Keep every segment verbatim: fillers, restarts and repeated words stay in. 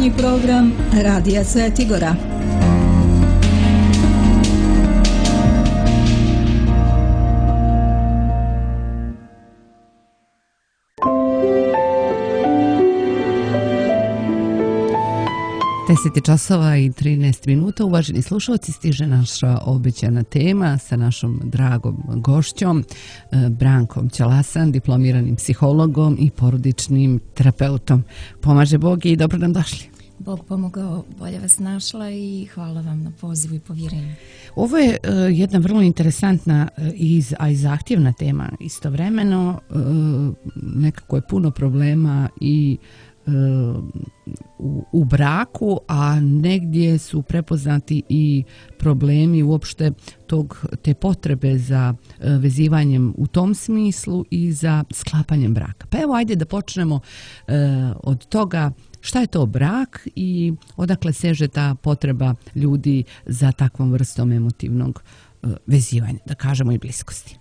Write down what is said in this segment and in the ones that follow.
Kulturni program Radija Svetigora. deset časova i trinaest minuta, uvaženi slušalci, stiže naša obećana tema sa našom dragom gošćom, Brankom Ćalasan, diplomiranim psihologom i porodičnim terapeutom. Pomaže Bog i dobro nam došli. Bog pomogao, bolje vas našla i hvala vam na pozivu i povjerenju. Ovo je uh, jedna vrlo interesantna, uh, iz, a i zahtjevna tema istovremeno. Uh, nekako je puno problema i U, u braku, a negdje su prepoznati i problemi uopšte tog, te potrebe za vezivanjem u tom smislu i za sklapanjem braka. Pa evo, ajde da počnemo e, od toga šta je to brak i odakle seže ta potreba ljudi za takvom vrstom emotivnog e, vezivanja, da kažemo i bliskosti.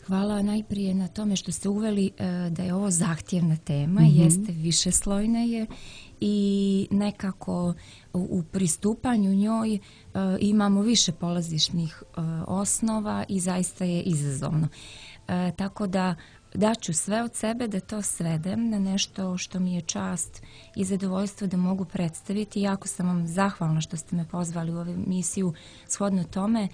Hvala najprije na tome što ste uveli uh, da je ovo zahtjevna tema, mm-hmm. jeste višeslojna je i nekako u, u pristupanju njoj uh, imamo više polazišnih uh, osnova i zaista je izazovno. Uh, tako da daću sve od sebe da to svedem na nešto što mi je čast i zadovoljstvo da mogu predstaviti. Jako sam vam zahvalna što ste me pozvali u ovu emisiju shodno tome.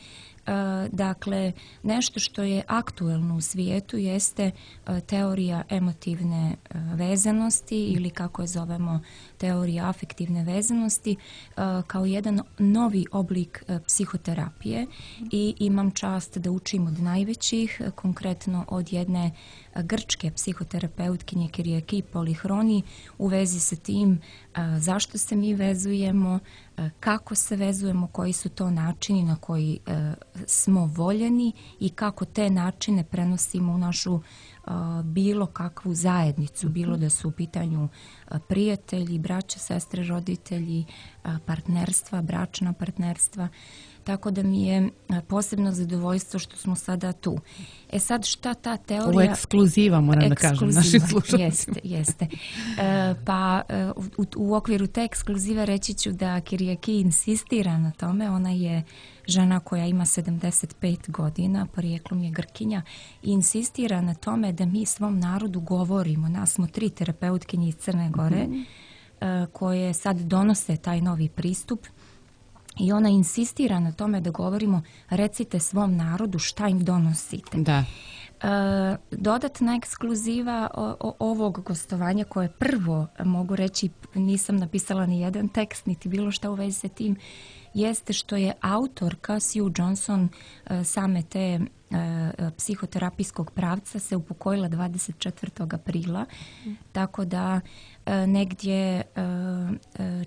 Uh, dakle, nešto što je aktuelno u svijetu jeste uh, teorija emotivne uh, vezanosti ili kako je zovemo teorija afektivne vezanosti uh, kao jedan novi oblik uh, psihoterapije i imam čast da učim od najvećih, uh, konkretno od jedne uh, grčke psihoterapeutkinje Kyriaki Polychroni u vezi sa tim uh, zašto se mi vezujemo, uh, kako se vezujemo, koji su to načini na koji uh, smo voljeni i kako te načine prenosimo u našu uh, bilo kakvu zajednicu, bilo da su u pitanju uh, prijatelji, braća, sestre, roditelji, uh, partnerstva, bračna partnerstva. Tako da mi je posebno zadovoljstvo što smo sada tu. E sad šta ta teorija... Ovo je ekskluziva, moram da kažem, našim slušalcima. Jeste, jeste. E, pa u, u okviru te ekskluzive reći ću da Kyriaki insistira na tome. Ona je žena koja ima sedamdeset pet godina, porijeklom je Grkinja, i insistira na tome da mi svom narodu govorimo. Nas smo tri terapeutkinje iz Crne Gore mm-hmm. e, koje sad donose taj novi pristup. I ona insistira na tome da govorimo, recite svom narodu šta im donosite. Da. E, dodatna ekskluziva o, o, ovog gostovanja koje prvo, mogu reći, nisam napisala ni jedan tekst, niti bilo šta u vezi sa tim, jeste što je autorka Sue Johnson e, same te e, psihoterapijskog pravca se upokojila dvadeset četvrtog aprila, mm. tako da e, negdje e,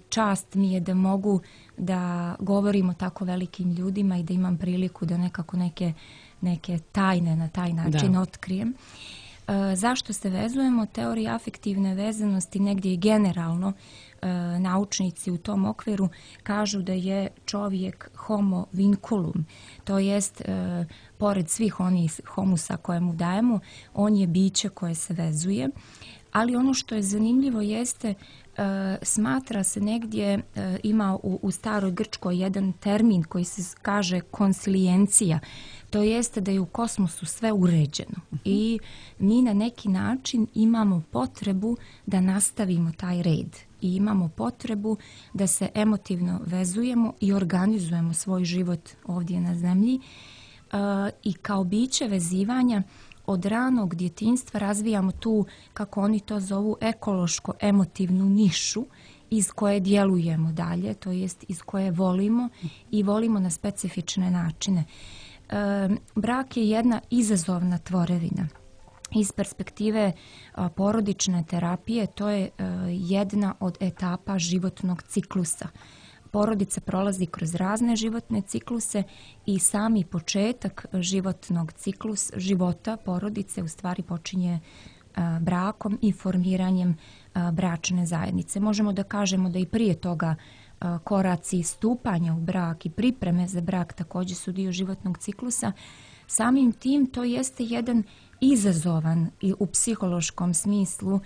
čast mi je da mogu da govorim o tako velikim ljudima i da imam priliku da nekako neke, neke tajne na taj način da. otkrijem. E, zašto se vezujemo? Teorija afektivne vezanosti negdje i generalno e, naučnici u tom okviru kažu da je čovjek homo vinculum, to jest e, pored svih onih homusa koje mu dajemo, on je biće koje se vezuje. Ali ono što je zanimljivo jeste, e, smatra se negdje, e, ima u, u staroj Grčkoj jedan termin koji se kaže konsilijencija. To jeste da je u kosmosu sve uređeno i mi na neki način imamo potrebu da nastavimo taj red i imamo potrebu da se emotivno vezujemo i organizujemo svoj život ovdje na zemlji e, i kao biće vezivanja od ranog djetinjstva razvijamo tu, kako oni to zovu, ekološko-emotivnu nišu iz koje djelujemo dalje, to jest iz koje volimo i volimo na specifične načine. E, brak je jedna izazovna tvorevina. Iz perspektive a, porodične terapije to je a, jedna od etapa životnog ciklusa. Porodica prolazi kroz razne životne cikluse i sami početak životnog ciklus života porodice u stvari počinje a, brakom i formiranjem a, bračne zajednice. Možemo da kažemo da i prije toga a, koraci stupanja u brak i pripreme za brak također su dio životnog ciklusa. Samim tim to jeste jedan izazovan i u psihološkom smislu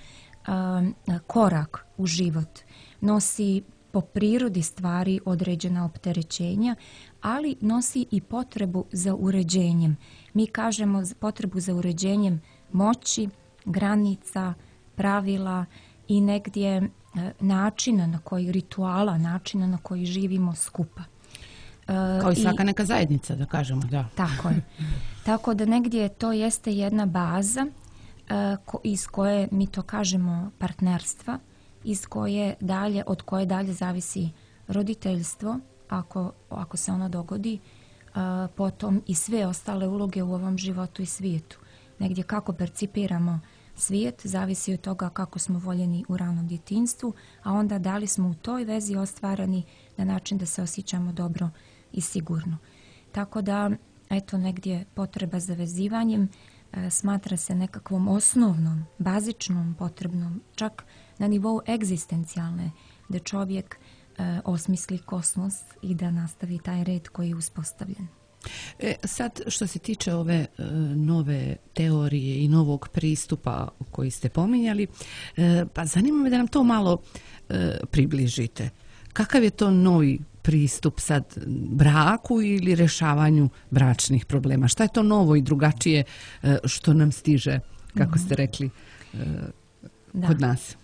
a, korak u život. nosi po prirodi stvari određena opterećenja, ali nosi i potrebu za uređenjem. Mi kažemo potrebu za uređenjem moći, granica, pravila i negdje načina na koji, rituala, načina na koji živimo skupa. Kao i svaka I, neka zajednica, da kažemo, da. Tako je. Tako da negdje to jeste jedna baza ko, iz koje mi to kažemo partnerstva, iz koje dalje, od koje dalje zavisi roditeljstvo, ako, ako se ono dogodi, potom i sve ostale uloge u ovom životu i svijetu. Negdje kako percipiramo svijet zavisi od toga kako smo voljeni u ranom djetinjstvu, a onda da li smo u toj vezi ostvareni na način da se osjećamo dobro i sigurno. Tako da, eto, negdje potreba za vezivanjem e, smatra se nekakvom osnovnom, bazičnom potrebnom, čak na nivou egzistencijalne, da čovjek e, osmisli kosmos i da nastavi taj red koji je uspostavljen. E, sad, što se tiče ove e, nove teorije i novog pristupa koji ste pominjali, e, pa zanima me da nam to malo e, približite. Kakav je to novi pristup sad braku ili rješavanju bračnih problema? Šta je to novo i drugačije e, što nam stiže, kako ste rekli, e, kod da. nas?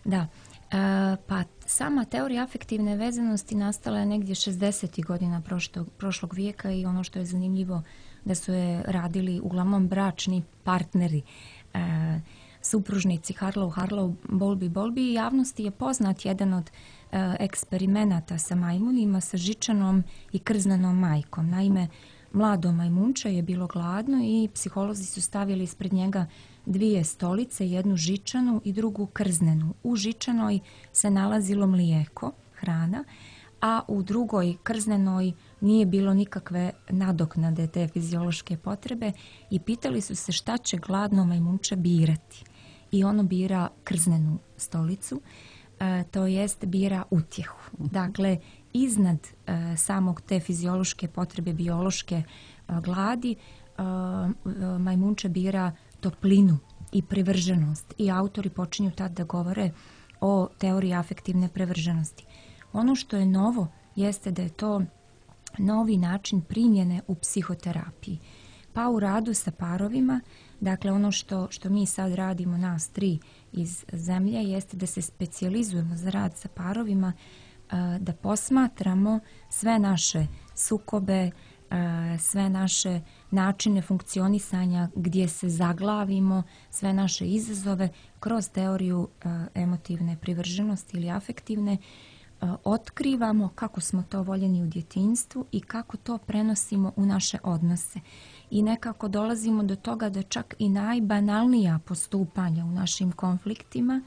Da. E, pa sama teorija afektivne vezanosti nastala je negdje šezdesetih godina prošlog, prošlog vijeka i ono što je zanimljivo da su je radili uglavnom bračni partneri, e, supružnici Harlow, Harlow, Bowlby, Bowlby i javnosti je poznat jedan od e, eksperimenata sa majmunima, sa žičanom i krznenom majkom. Naime, mlado majmunče je bilo gladno i psiholozi su stavili ispred njega dvije stolice, jednu žičanu i drugu krznenu. U žičanoj se nalazilo mlijeko, hrana, a u drugoj krznenoj nije bilo nikakve nadoknade te fiziološke potrebe i pitali su se šta će gladno majmunče birati. I ono bira krznenu stolicu, e, to jest bira utjehu. Dakle, iznad e, samog te fiziološke potrebe, biološke e, gladi, e, majmunče bira toplinu i privrženost i autori počinju tad da govore o teoriji afektivne privrženosti. Ono što je novo jeste da je to novi način primjene u psihoterapiji. Pa u radu sa parovima, dakle ono što, što mi sad radimo, nas tri iz zemlje, jeste da se specijalizujemo za rad sa parovima, da posmatramo sve naše sukobe, sve naše načine funkcionisanja gdje se zaglavimo, sve naše izazove kroz teoriju emotivne privrženosti ili afektivne, otkrivamo kako smo to voljeni u djetinjstvu i kako to prenosimo u naše odnose. I nekako dolazimo do toga da čak i najbanalnija postupanja u našim konfliktima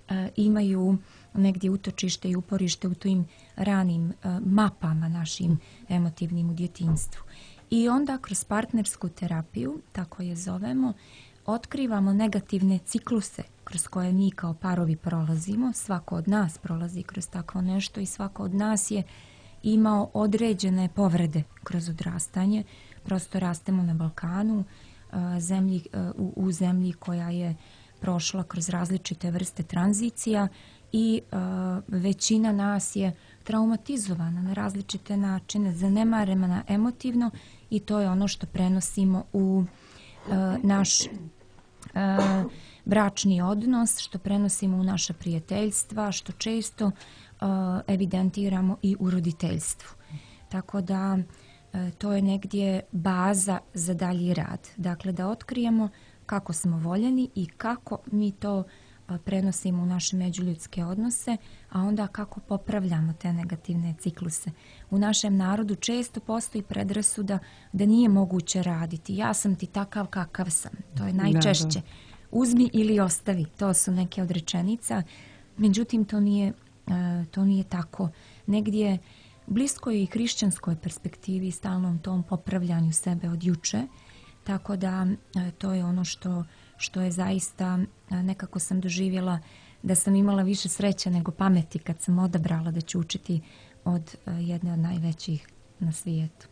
e, imaju negdje utočište i uporište u tim ranim e, mapama našim emotivnim u djetinjstvu. I onda kroz partnersku terapiju, tako je zovemo, otkrivamo negativne cikluse kroz koje mi kao parovi prolazimo. Svako od nas prolazi kroz takvo nešto i svako od nas je imao određene povrede kroz odrastanje. Prosto rastemo na Balkanu, zemlji, u, u zemlji koja je prošla kroz različite vrste tranzicija i uh, većina nas je traumatizovana na različite načine, zanemarena emotivno i to je ono što prenosimo u uh, naš uh, bračni odnos, što prenosimo u naša prijateljstva, što često uh, evidentiramo i u roditeljstvu. Tako da uh, to je negdje baza za dalji rad. Dakle, da otkrijemo kako smo voljeni i kako mi to prenosimo u naše međuljudske odnose, a onda kako popravljamo te negativne cikluse. U našem narodu često postoji predrasuda da nije moguće raditi. Ja sam ti takav kakav sam. To je najčešće. Da, da. Uzmi ili ostavi. To su neke od rečenica. Međutim, to nije, to nije tako. Negdje blisko je i hrišćanskoj perspektivi, stalnom tom popravljanju sebe od juče. Tako da to je ono što, što je zaista, nekako sam doživjela da sam imala više sreće nego pameti kad sam odabrala da ću učiti od jedne od najvećih na svijetu.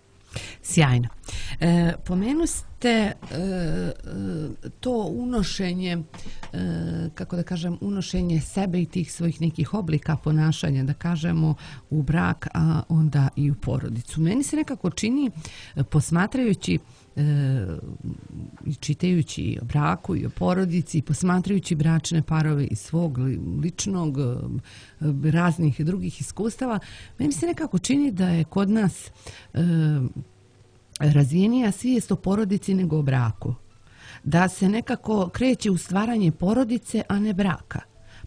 Sjajno. E, pomenu ste e, to unošenje kako da kažem, unošenje sebe i tih svojih nekih oblika ponašanja, da kažemo, u brak, a onda i u porodicu. Meni se nekako čini, posmatrajući i čitajući o braku i o porodici, posmatrajući bračne parove iz svog ličnog, raznih drugih iskustava, meni se nekako čini da je kod nas razvijenija svijest o porodici nego o braku. Da se nekako kreće u stvaranje porodice, a ne braka.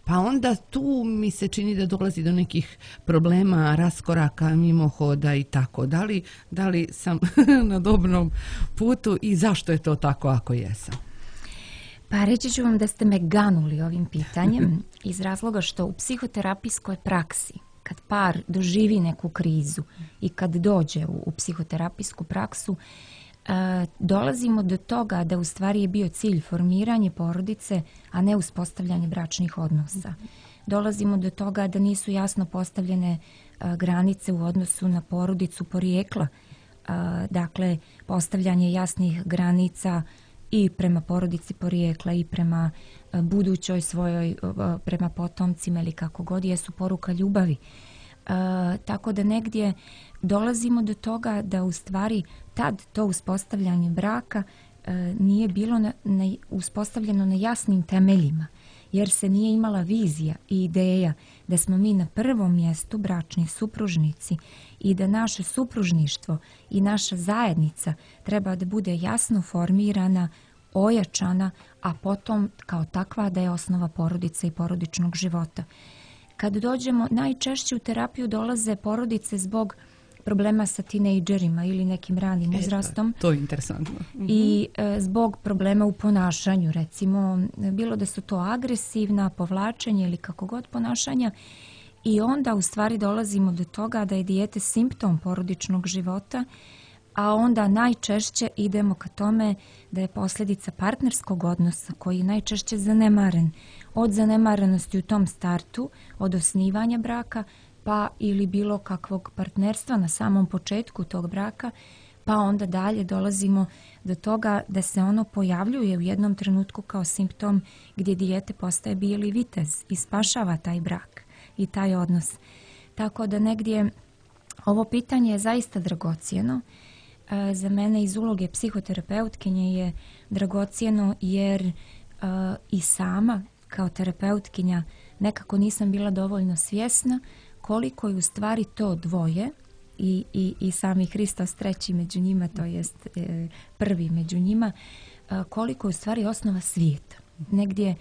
Pa onda tu mi se čini da dolazi do nekih problema, raskoraka, mimohoda i tako. Da li, da li sam na dobrom putu i zašto je to tako ako jesam? Pa reći ću vam da ste me ganuli ovim pitanjem iz razloga što u psihoterapijskoj praksi, kad par doživi neku krizu i kad dođe u, u psihoterapijsku praksu, e, dolazimo do toga da u stvari je bio cilj formiranje porodice, a ne uspostavljanje bračnih odnosa. Dolazimo do toga da nisu jasno postavljene e, granice u odnosu na porodicu porijekla. E, dakle, postavljanje jasnih granica i prema porodici porijekla i prema e, budućoj svojoj, e, prema potomcima ili kako god, jesu poruka ljubavi. E, tako da negdje dolazimo do toga da u stvari tad to uspostavljanje braka e, nije bilo na, na, uspostavljeno na jasnim temeljima, jer se nije imala vizija i ideja da smo mi na prvom mjestu bračni supružnici i da naše supružništvo i naša zajednica treba da bude jasno formirana, ojačana, a potom kao takva da je osnova porodice i porodičnog života. Kad dođemo, najčešće u terapiju dolaze porodice zbog problema sa tinejdžerima ili nekim ranim uzrastom. E, to je interesantno. I e, zbog problema u ponašanju, recimo, bilo da su to agresivna, povlačenje ili kako god ponašanja. I onda u stvari dolazimo do toga da je dijete simptom porodičnog života, a onda najčešće idemo ka tome da je posljedica partnerskog odnosa koji je najčešće zanemaren. Od zanemarenosti u tom startu, od osnivanja braka, pa ili bilo kakvog partnerstva na samom početku tog braka, pa onda dalje dolazimo do toga da se ono pojavljuje u jednom trenutku kao simptom gdje dijete postaje bijeli vitez i spašava taj brak i taj odnos. Tako da negdje ovo pitanje je zaista dragocjeno. E, za mene iz uloge psihoterapeutkinje je dragocjeno jer e, i sama kao terapeutkinja nekako nisam bila dovoljno svjesna koliko je u stvari to dvoje i, i, i sami Hristos treći među njima, to jest e, prvi među njima, e, koliko je u stvari osnova svijeta. Negdje e,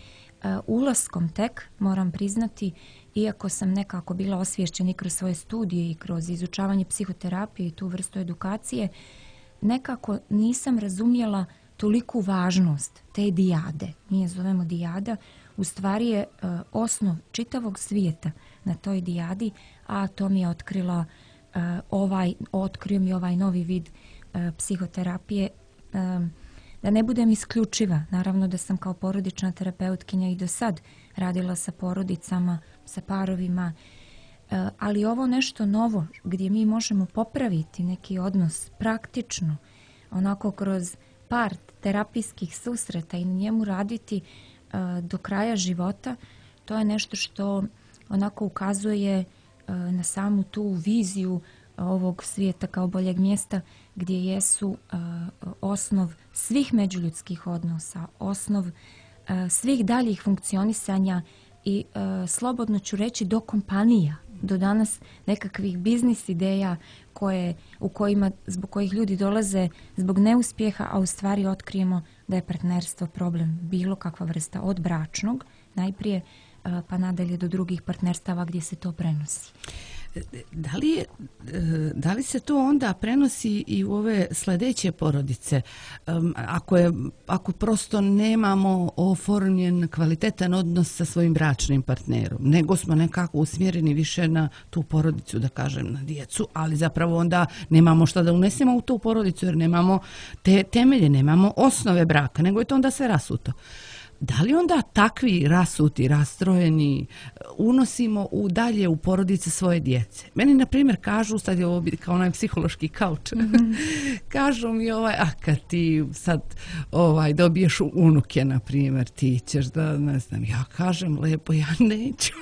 ulaskom tek, moram priznati, iako sam nekako bila osvješćena i kroz svoje studije i kroz izučavanje psihoterapije i tu vrstu edukacije, nekako nisam razumjela toliku važnost te dijade. Mi je zovemo dijada, u stvari je e, osnov čitavog svijeta na toj dijadi, a to mi je otkrila e, ovaj, otkrio mi ovaj novi vid e, psihoterapije. E, da ne budem isključiva, naravno da sam kao porodična terapeutkinja i do sad radila sa porodicama, sa parovima, e, ali ovo nešto novo gdje mi možemo popraviti neki odnos praktično, onako kroz par terapijskih susreta i na njemu raditi do kraja života, to je nešto što onako ukazuje na samu tu viziju ovog svijeta kao boljeg mjesta gdje jesu osnov svih međuljudskih odnosa, osnov svih daljih funkcionisanja i slobodno ću reći do kompanija, do danas nekakvih biznis ideja koje, u kojima, zbog kojih ljudi dolaze zbog neuspjeha, a u stvari otkrijemo da je partnerstvo problem, bilo kakva vrsta, od bračnog najprije pa nadalje do drugih partnerstava gdje se to prenosi. Da li, je, da li se to onda prenosi i u ove sljedeće porodice? Ako, je, ako prosto nemamo oformljen kvalitetan odnos sa svojim bračnim partnerom, nego smo nekako usmjereni više na tu porodicu, da kažem, na djecu, ali zapravo onda nemamo šta da unesemo u tu porodicu jer nemamo te temelje, nemamo osnove braka, nego je to onda sve rasuto. da li onda takvi rasuti, rastrojeni unosimo u dalje u porodice svoje djece? Meni, na primjer, kažu, sad je ovo kao onaj psihološki kauč, mm-hmm. kažu mi ovaj, a kad ti sad ovaj, dobiješ unuke, na primjer, ti ćeš da, ne znam, ja kažem lepo, ja neću.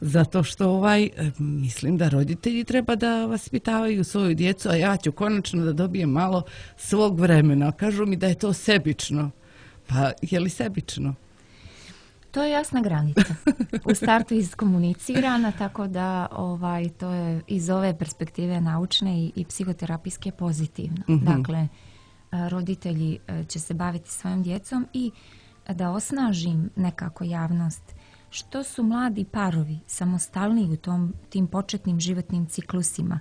Zato što ovaj, mislim da roditelji treba da vaspitavaju svoju djecu, a ja ću konačno da dobijem malo svog vremena. Kažu mi da je to sebično. Pa je li sebično? To je jasna granica. U startu iskomunicirana, tako da ovaj, to je iz ove perspektive naučne i, i psihoterapijske pozitivno. Mm-hmm. Dakle, roditelji će se baviti svojom djecom i da osnažim nekako javnost. Što su mladi parovi samostalniji u tom, tim početnim životnim ciklusima,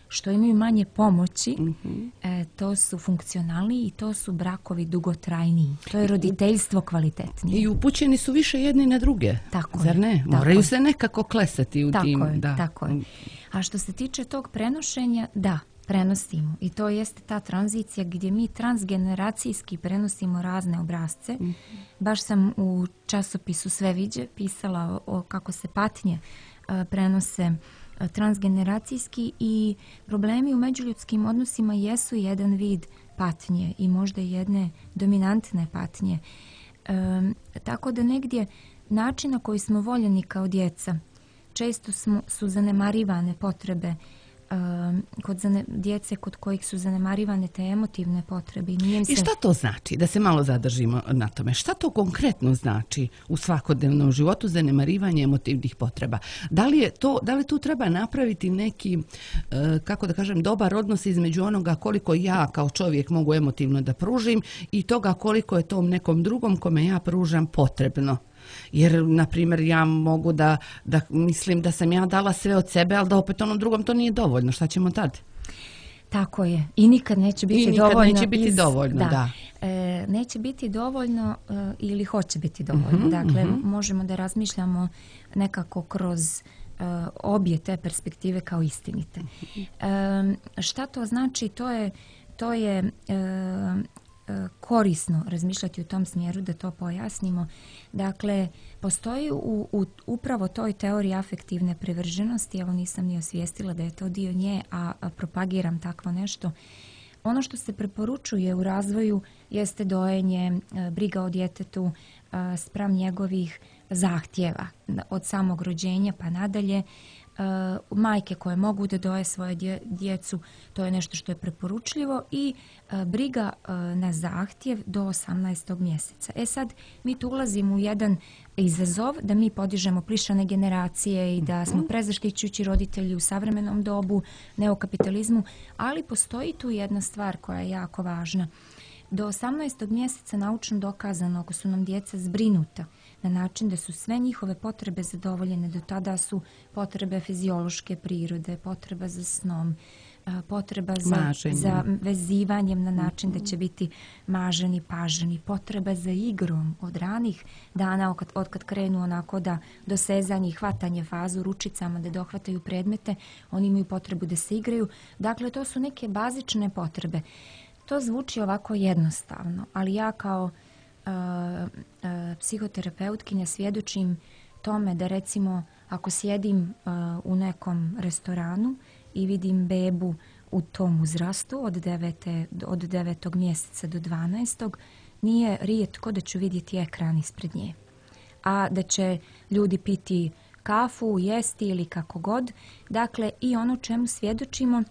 što imaju manje pomoći, mm-hmm. e, to su funkcionalniji i to su brakovi dugotrajniji. To je roditeljstvo kvalitetnije. I upućeni su više jedni na druge. Tako Zar ne? je, Moraju tako se nekako klesati u tako tim. Je, da. Tako je. A što se tiče tog prenošenja, da, prenosimo. I to jeste ta tranzicija gdje mi transgeneracijski prenosimo razne obrazce. Mm-hmm. Baš sam u časopisu Sve viđe pisala o, o kako se patnje a, prenose transgeneracijski i problemi u međuljudskim odnosima jesu jedan vid patnje i možda jedne dominantne patnje. E, tako da negdje način na koji smo voljeni kao djeca, često smo, su zanemarivane potrebe kod zane, djece kod kojih su zanemarivane te emotivne potrebe. Nije se... I šta to znači? Da se malo zadržimo na tome. Šta to konkretno znači u svakodnevnom životu zanemarivanje emotivnih potreba? Da li je to, da li tu treba napraviti neki, kako da kažem, dobar odnos između onoga koliko ja kao čovjek mogu emotivno da pružim i toga koliko je tom nekom drugom kome ja pružam potrebno? Jer, na primjer, ja mogu da, da mislim da sam ja dala sve od sebe, ali da opet onom drugom to nije dovoljno. Šta ćemo tad? Tako je. I nikad neće biti I nikad dovoljno. neće biti iz, dovoljno, da. da. E, neće biti dovoljno e, ili hoće biti dovoljno. Mm-hmm, dakle, mm-hmm. možemo da razmišljamo nekako kroz e, obje te perspektive kao istinite. Mm-hmm. E, šta to znači? To je, to je e, korisno razmišljati u tom smjeru, da to pojasnimo. Dakle, postoji u, u upravo toj teoriji afektivne privrženosti, evo nisam ni osvijestila da je to dio nje, a, a propagiram takvo nešto. Ono što se preporučuje u razvoju jeste dojenje, briga o djetetu spram njegovih zahtjeva od samog rođenja pa nadalje. Uh, majke koje mogu da doje svoje dje, djecu, to je nešto što je preporučljivo i uh, briga uh, na zahtjev do osamnaestog mjeseca. E sad, mi tu ulazimo u jedan izazov da mi podižemo plišane generacije i da smo prezaštićujući roditelji u savremenom dobu, neokapitalizmu, ali postoji tu jedna stvar koja je jako važna. Do osamnaestog mjeseca naučno dokazano ako su nam djeca zbrinuta na način da su sve njihove potrebe zadovoljene. Do tada su potrebe fiziološke prirode, potreba za snom, potreba za, za vezivanjem na način da će biti maženi, paženi, potreba za igrom od ranih dana od, od kad krenu onako da dosezanje i hvatanje fazu ručicama, da dohvataju predmete, oni imaju potrebu da se igraju. Dakle, to su neke bazične potrebe. To zvuči ovako jednostavno, ali ja kao uh, uh, psihoterapeutkinja svjedočim tome da recimo ako sjedim uh, u nekom restoranu i vidim bebu u tom uzrastu od, devete, od devetog mjeseca do dvanaestog, nije rijetko da ću vidjeti ekran ispred nje. A da će ljudi piti kafu, jesti ili kako god. Dakle, i ono čemu svjedočimo,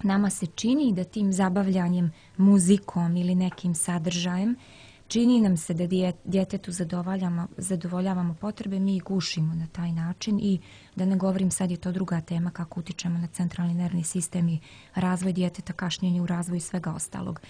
nama se čini da tim zabavljanjem muzikom ili nekim sadržajem čini nam se da djetetu zadovoljavamo, zadovoljavamo potrebe, mi ih gušimo na taj način i da ne govorim, sad je to druga tema kako utičemo na centralni nervni sistem i razvoj djeteta, kašnjenje u razvoju i svega ostalog.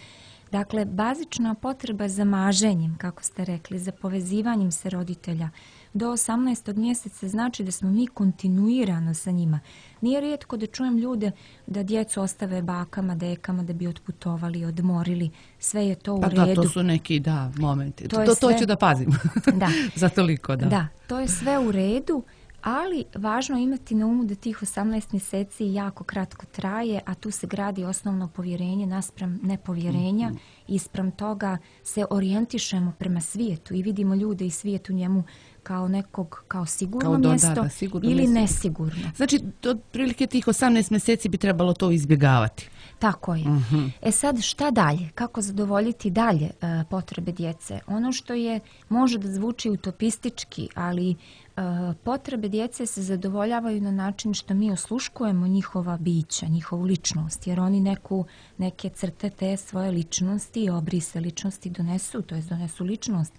Dakle, bazična potreba za maženjem, kako ste rekli, za povezivanjem se roditelja do osamnaestog mjeseca znači da smo mi kontinuirano sa njima. Nije rijetko da čujem ljude da djecu ostave bakama, dekama da bi otputovali, odmorili. Sve je to u pa redu. Da, to su neki, da, momenti. To, to, to, sve... to ću da pazim. Da. Za toliko, da. Da, to je sve u redu. Ali važno je imati na umu da tih osamnaest mjeseci jako kratko traje, a tu se gradi osnovno povjerenje naspram nepovjerenja mm-hmm. i spram toga se orijentišemo prema svijetu i vidimo ljude i svijet u njemu kao nekog, kao sigurno kao do, mjesto da, da, sigurno, ili nesigurno. nesigurno. Znači, otprilike tih osamnaest mjeseci bi trebalo to izbjegavati. Tako je. Uh-huh. E sad, šta dalje? Kako zadovoljiti dalje uh, potrebe djece? Ono što je, može da zvuči utopistički, ali uh, potrebe djece se zadovoljavaju na način što mi osluškujemo njihova bića, njihovu ličnost, jer oni neku, neke crte te svoje ličnosti, obrise ličnosti donesu, to jest donesu ličnost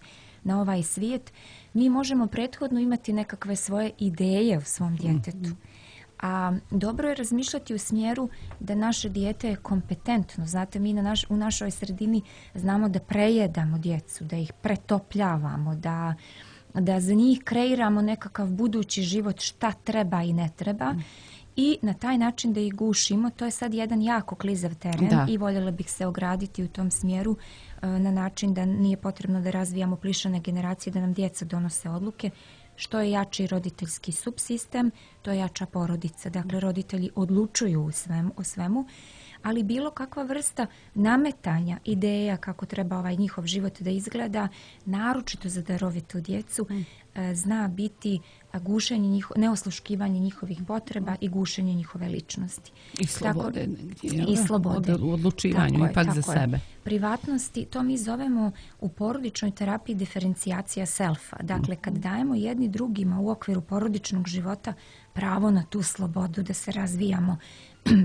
na ovaj svijet. Mi možemo prethodno imati nekakve svoje ideje u svom djetetu. Uh-huh. A dobro je razmišljati u smjeru da naše dijete je kompetentno. Znate, mi na naš, u našoj sredini znamo da prejedamo djecu, da ih pretopljavamo, da, da za njih kreiramo nekakav budući život šta treba i ne treba. Mm. I na taj način da ih gušimo. To je sad jedan jako klizav teren da. I voljela bih se ograditi u tom smjeru na način da nije potrebno da razvijamo plišane generacije, da nam djeca donose odluke. Što je jači roditeljski subsistem, to je jača porodica. Dakle, roditelji odlučuju o svemu, o svemu, ali bilo kakva vrsta nametanja ideja kako treba ovaj njihov život da izgleda, naročito za darovitu djecu, mm. zna biti gušenje njiho, neosluškivanje njihovih potreba i gušenje njihove ličnosti. I slobode. Tako, negdje, I slobode. U odlučivanju, tako ipak je, za sebe. Privatnosti, to mi zovemo u porodičnoj terapiji diferencijacija selfa. Dakle, kad dajemo jedni drugima u okviru porodičnog života pravo na tu slobodu, da se razvijamo,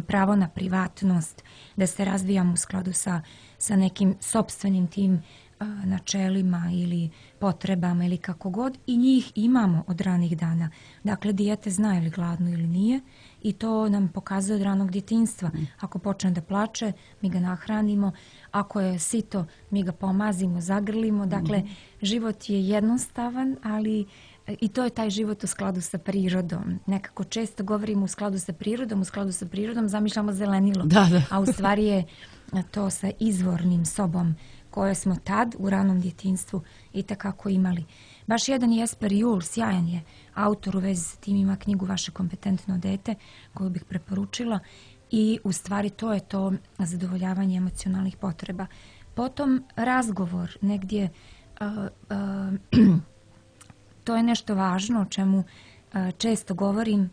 pravo na privatnost, da se razvijamo u skladu sa, sa nekim sopstvenim tim a, načelima ili potrebama ili kako god, i njih imamo od ranih dana. Dakle, dijete zna ili gladno ili nije i to nam pokazuje od ranog djetinjstva. Ako počne da plače, mi ga nahranimo. Ako je sito, mi ga pomazimo, zagrlimo. Dakle, mm. život je jednostavan, ali i to je taj život u skladu sa prirodom. Nekako često govorimo u skladu sa prirodom, u skladu sa prirodom zamišljamo zelenilo. Da, da. A u stvari je to sa izvornim sobom koje smo tad u ranom djetinjstvu i takako imali. Baš jedan Jesper Juhl, sjajan je autor u vezi s tim, ima knjigu Vaše kompetentno dete koju bih preporučila i u stvari to je to zadovoljavanje emocionalnih potreba. Potom razgovor negdje uh, uh, to je nešto važno o čemu uh, često govorim,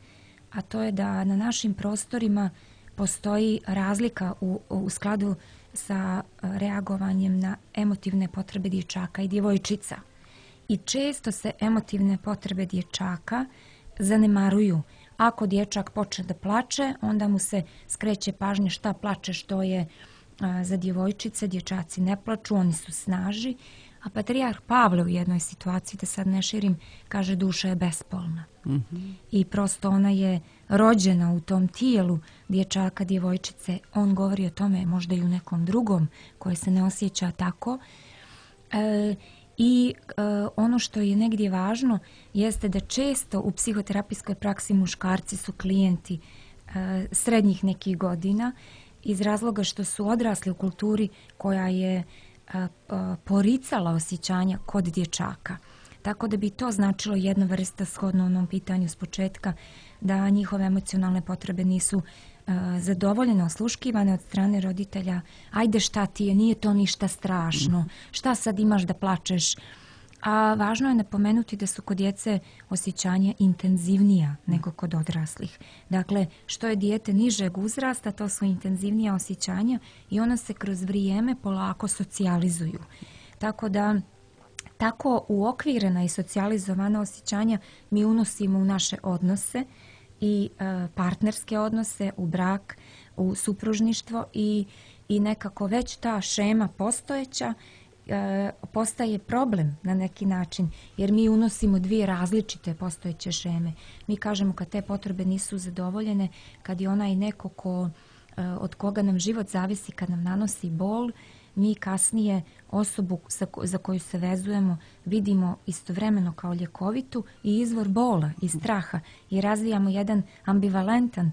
a to je da na našim prostorima postoji razlika u, u skladu sa reagovanjem na emotivne potrebe dječaka i djevojčica. I često se emotivne potrebe dječaka zanemaruju. Ako dječak počne da plače, onda mu se skreće pažnja šta plače, što je a, za djevojčice. Dječaci ne plaču, oni su snaži. A patrijarh Pavle u jednoj situaciji, da sad ne širim, kaže duša je bespolna. Mm-hmm. I prosto ona je rođena u tom tijelu dječaka, djevojčice. On govori o tome možda i u nekom drugom koje se ne osjeća tako. E, I e, ono što je negdje važno jeste da često u psihoterapijskoj praksi muškarci su klijenti e, srednjih nekih godina iz razloga što su odrasli u kulturi koja je a, a, poricala osjećanja kod dječaka. Tako da bi to značilo jedna vrsta, shodno onom pitanju s početka, da njihove emocionalne potrebe nisu a, zadovoljene, osluškivane od strane roditelja. Ajde, šta ti je, nije to ništa strašno, šta sad imaš da plačeš. A važno je napomenuti da su kod djece osjećanja intenzivnija nego kod odraslih. Dakle, što je dijete nižeg uzrasta, to su intenzivnija osjećanja i ona se kroz vrijeme polako socijalizuju. Tako da, tako uokvirena i socijalizovana osjećanja mi unosimo u naše odnose i e, partnerske odnose, u brak, u supružništvo i, i nekako već ta šema postojeća postaje problem na neki način, jer mi unosimo dvije različite postojeće šeme. Mi kažemo kad te potrebe nisu zadovoljene, kad je onaj neko ko, od koga nam život zavisi, kad nam nanosi bol, mi kasnije osobu za koju se vezujemo vidimo istovremeno kao ljekovitu i izvor bola i straha i razvijamo jedan ambivalentan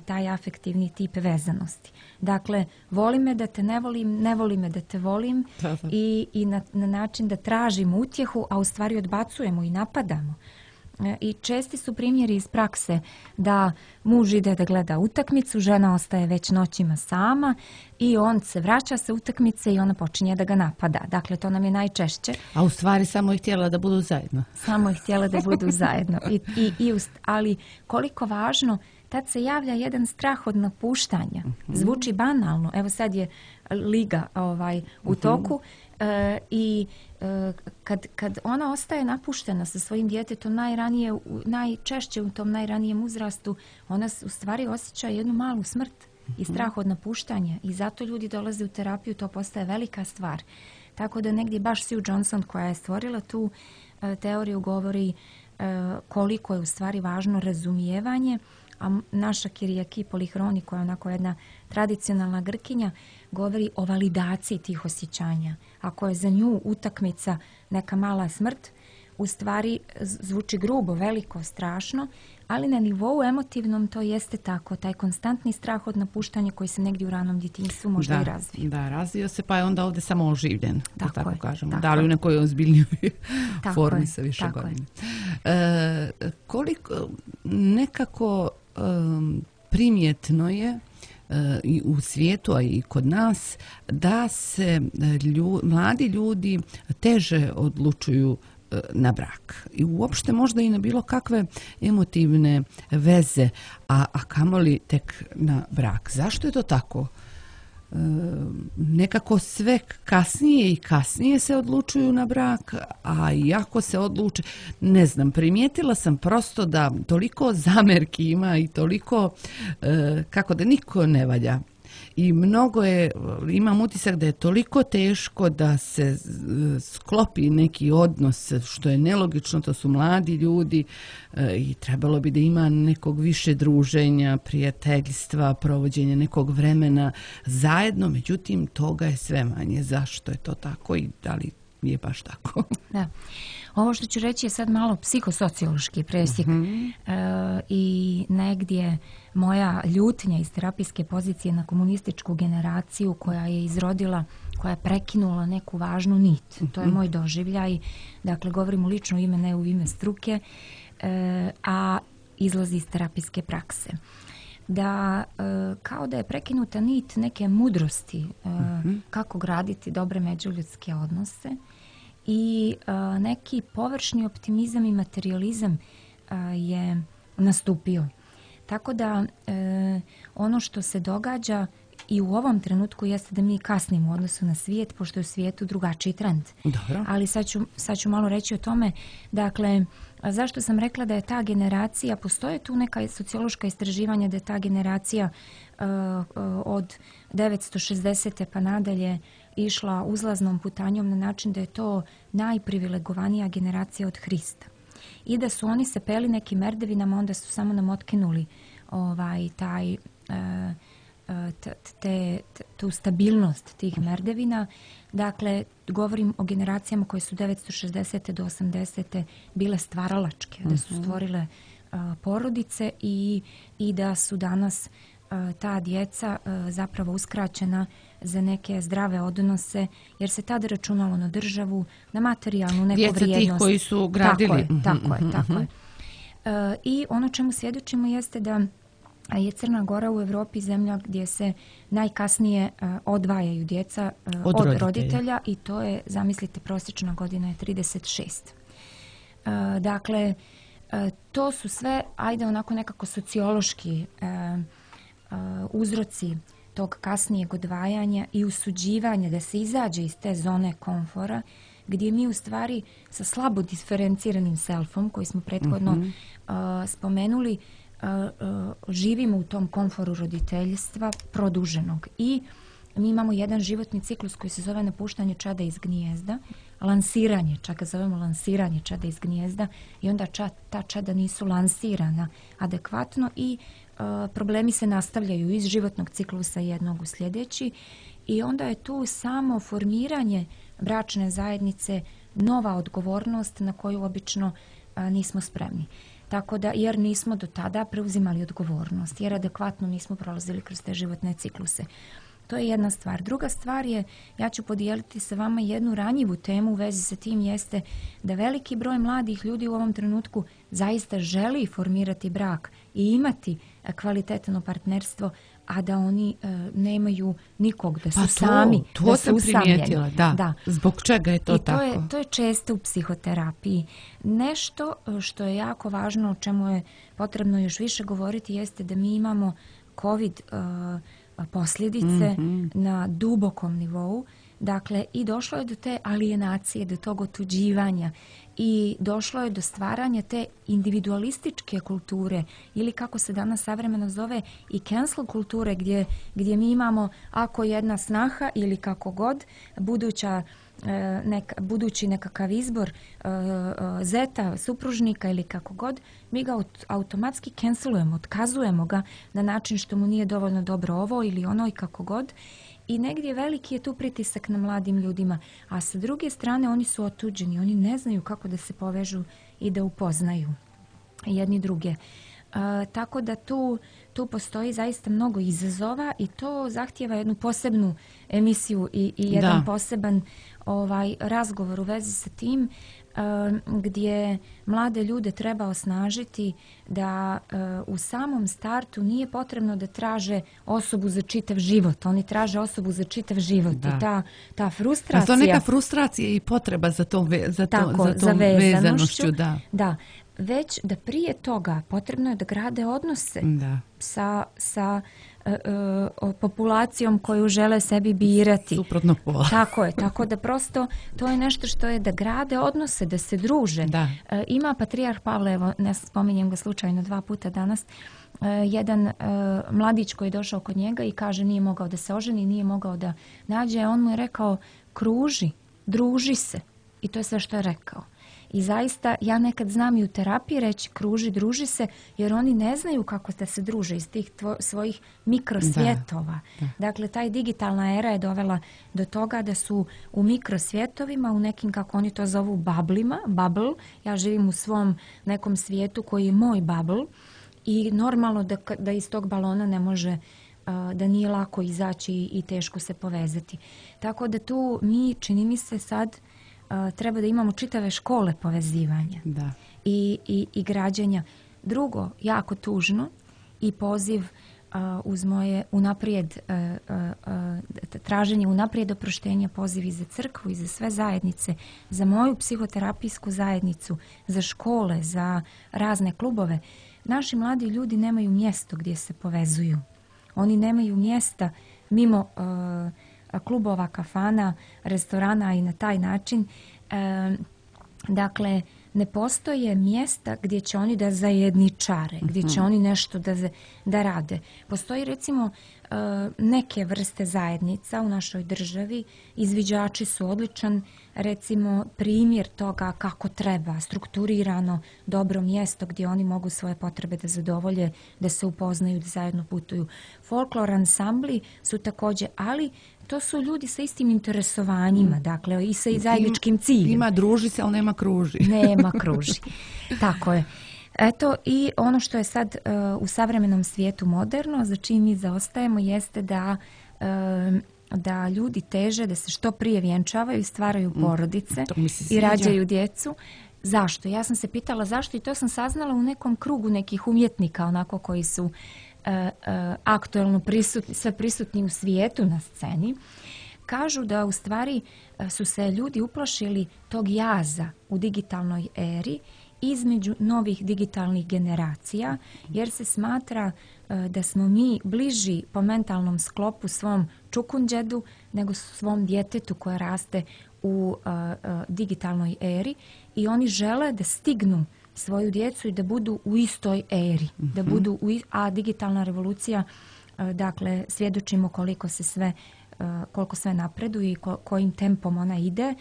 taj afektivni tip vezanosti. Dakle, voli me da te ne volim, ne voli me da te volim i, i na, na način da tražimo utjehu, a u stvari odbacujemo i napadamo I česti su primjeri iz prakse da muž ide da gleda utakmicu, žena ostaje već noćima sama i on se vraća sa utakmice i ona počinje da ga napada. Dakle, to nam je najčešće. A u stvari samo je htjela da budu zajedno. Samo je htjela da budu zajedno. I, i, i ust, ali koliko važno, tad se javlja jedan strah od napuštanja. Zvuči banalno. Evo sad je liga ovaj, u toku. E, i e, kad, kad ona ostaje napuštena sa svojim djetetom najranije, najčešće u tom najranijem uzrastu, ona u stvari osjeća jednu malu smrt i strah od napuštanja i zato ljudi dolaze u terapiju, to postaje velika stvar. Tako da negdje baš Sue Johnson koja je stvorila tu e, teoriju govori e, koliko je u stvari važno razumijevanje, a naša Kyriaki Polychroni koja je onako jedna tradicionalna Grkinja govori o validaciji tih osjećanja. Ako je za nju utakmica neka mala smrt, u stvari zvuči grubo, veliko, strašno, ali na nivou emotivnom to jeste tako, taj konstantni strah od napuštanja koji se negdje u ranom djetinjstvu možda da, i razvije. Da, razvio se pa je onda ovdje samo oživljen, tako, tako je, kažemo. Tako da li u nekoj ozbiljnijoj formi je, sa više godina. E, koliko nekako um, primjetno je i u svijetu, a i kod nas, da se lju, mladi ljudi teže odlučuju na brak. I uopšte možda i na bilo kakve emotivne veze, a, a kamoli tek na brak. Zašto je to tako? E, nekako sve kasnije i kasnije se odlučuju na brak, a iako se odluče, ne znam, primijetila sam prosto da toliko zamerki ima i toliko, e, kako da niko ne valja. I mnogo je, imam utisak da je toliko teško da se sklopi neki odnos, što je nelogično, to su mladi ljudi i trebalo bi da ima nekog više druženja, prijateljstva, provođenja nekog vremena zajedno, međutim toga je sve manje. Zašto je to tako i da li je baš tako? Da. Ovo što ću reći je sad malo psihosociološki presjek uh-huh. e, i negdje moja ljutnja iz terapijske pozicije na komunističku generaciju koja je izrodila, koja je prekinula neku važnu nit. Uh-huh. To je moj doživljaj. Dakle, govorim u lično ime, ne u ime struke, e, a izlazi iz terapijske prakse. Da e, kao da je prekinuta nit neke mudrosti e, uh-huh. kako graditi dobre međuljudske odnose i e, neki površni optimizam i materijalizam e, je nastupio. Tako da e, ono što se događa i u ovom trenutku jeste da mi kasnimo u odnosu na svijet, pošto je u svijetu drugačiji trend. Dobro. Ali sad ću, sad ću malo reći o tome. Dakle, zašto sam rekla da je ta generacija, postoje tu neka sociološka istraživanja da je ta generacija uh, uh, od devetsto šezdesete pa nadalje išla uzlaznom putanjom na način da je to najprivilegovanija generacija od Hrista. I da su oni se peli nekim merdevinama, onda su samo nam otkinuli ovaj, taj... Uh, Te, te, tu stabilnost tih merdevina. Dakle, govorim o generacijama koje su devetsto šezdesete do osamdesete bile stvaralačke, da su stvorile uh, porodice i, i da su danas uh, ta djeca uh, zapravo uskraćena za neke zdrave odnose, jer se tada računalo na državu, na materijalnu neku djeca vrijednost. Djeca tih koji su gradili. Tako je, tako je, tako je. Uh, I ono čemu svjedočimo jeste da je Crna Gora u Europi zemlja gdje se najkasnije uh, odvajaju djeca uh, od, od roditelja. roditelja i to je, zamislite, prosječna godina je trideset šest. Uh, dakle, uh, to su sve, ajde onako nekako sociološki uh, uh, uzroci tog kasnijeg odvajanja i usuđivanja da se izađe iz te zone komfora gdje mi u stvari sa slabo diferenciranim selfom koji smo prethodno mm-hmm. uh, spomenuli Uh, uh, živimo u tom komforu roditeljstva produženog i mi imamo jedan životni ciklus koji se zove napuštanje čada iz gnijezda, lansiranje, čak ga zovemo lansiranje čada iz gnijezda i onda ča, ta čada nisu lansirana adekvatno i uh, problemi se nastavljaju iz životnog ciklusa jednog u sljedeći i onda je tu samo formiranje bračne zajednice nova odgovornost na koju obično uh, nismo spremni. Tako da, jer nismo do tada preuzimali odgovornost, jer adekvatno nismo prolazili kroz te životne cikluse. To je jedna stvar. Druga stvar je, ja ću podijeliti sa vama jednu ranjivu temu u vezi sa tim, jeste da veliki broj mladih ljudi u ovom trenutku zaista želi formirati brak i imati kvalitetno partnerstvo, a da oni e, nemaju nikog, da su pa to, sami, to da su usamljeni. Da. Da. Zbog čega je to I tako? To je, to je često u psihoterapiji. Nešto što je jako važno, o čemu je potrebno još više govoriti, jeste da mi imamo COVID uh, posljedice mm-hmm. na dubokom nivou. Dakle, i došlo je do te alijenacije, do tog otuđivanja i došlo je do stvaranja te individualističke kulture ili kako se danas savremeno zove i cancel kulture gdje, gdje mi imamo ako jedna snaha ili kako god buduća Nek, budući nekakav izbor uh, uh, zeta, supružnika ili kako god, mi ga aut, automatski cancelujemo, otkazujemo ga na način što mu nije dovoljno dobro ovo ili ono i kako god. I negdje veliki je tu pritisak na mladim ljudima, a sa druge strane oni su otuđeni, oni ne znaju kako da se povežu i da upoznaju jedni druge. Uh, tako da tu, tu postoji zaista mnogo izazova i to zahtijeva jednu posebnu emisiju i, i jedan da. poseban ovaj razgovor u vezi sa tim uh, gdje mlade ljude treba osnažiti da uh, u samom startu nije potrebno da traže osobu za čitav život. Oni traže osobu za čitav život da. i ta, ta frustracija... A to neka frustracija i potreba za tom, ve, za to, tako, za tom za vezanošću, vezanošću. Da. da. Već da prije toga potrebno je da grade odnose da. sa, sa uh, uh, populacijom koju žele sebi birati. Suprotnog pola. Tako je, tako da prosto to je nešto što je da grade odnose, da se druže. Da. Uh, ima patrijarh Pavle, evo ne spominjem ga slučajno dva puta danas, uh, jedan uh, mladić koji je došao kod njega i kaže nije mogao da se oženi, nije mogao da nađe, on mu je rekao kruži, druži se. I to je sve što je rekao. I zaista ja nekad znam i u terapiji reći kruži, druži se, jer oni ne znaju kako da se druže iz tih tvo, svojih mikrosvjetova. Da, da. Dakle, taj digitalna era je dovela do toga da su u mikrosvjetovima, u nekim, kako oni to zovu, bablima, bubble. Ja živim u svom nekom svijetu koji je moj bubble i normalno da, da iz tog balona ne može, da nije lako izaći i teško se povezati. Tako da tu mi, čini mi se sad, Uh, treba da imamo čitave škole povezivanja da. I, i, i građanja. Drugo, jako tužno i poziv uh, uz moje unaprijed uh, uh, traženje unaprijed oproštenja, poziv i za crkvu i za sve zajednice, za moju psihoterapijsku zajednicu, za škole, za razne klubove. Naši mladi ljudi nemaju mjesto gdje se povezuju. Oni nemaju mjesta mimo uh, klubova, kafana, restorana i na taj način. E, dakle, ne postoje mjesta gdje će oni da zajedničare, gdje će oni nešto da, da rade. Postoji recimo e, neke vrste zajednica u našoj državi. Izviđači su odličan, recimo, primjer toga kako treba, strukturirano, dobro mjesto gdje oni mogu svoje potrebe da zadovolje, da se upoznaju, da zajedno putuju. Folklor ansambli su također, ali to su ljudi sa istim interesovanjima, dakle, i sa zajedničkim ciljem. Ima druži se, ali nema kruži. Nema kruži. Tako je. Eto, i ono što je sad uh, u savremenom svijetu moderno, za čim mi zaostajemo, jeste da, uh, da ljudi teže da se što prije vjenčavaju, stvaraju porodice mm, i rađaju djecu. Zašto? Ja sam se pitala zašto i to sam saznala u nekom krugu nekih umjetnika, onako koji su uh, uh, aktuelno prisutni, sve prisutni u svijetu na sceni. Kažu da u stvari uh, su se ljudi uplašili tog jaza u digitalnoj eri između novih digitalnih generacija, jer se smatra uh, da smo mi bliži po mentalnom sklopu svom čukunđedu nego svom djetetu koje raste u uh, uh, digitalnoj eri i oni žele da stignu svoju djecu i da budu u istoj eri, mm-hmm. da budu u, a digitalna revolucija, uh, dakle, svjedočimo koliko se sve, uh, koliko sve napreduje i ko, kojim tempom ona ide.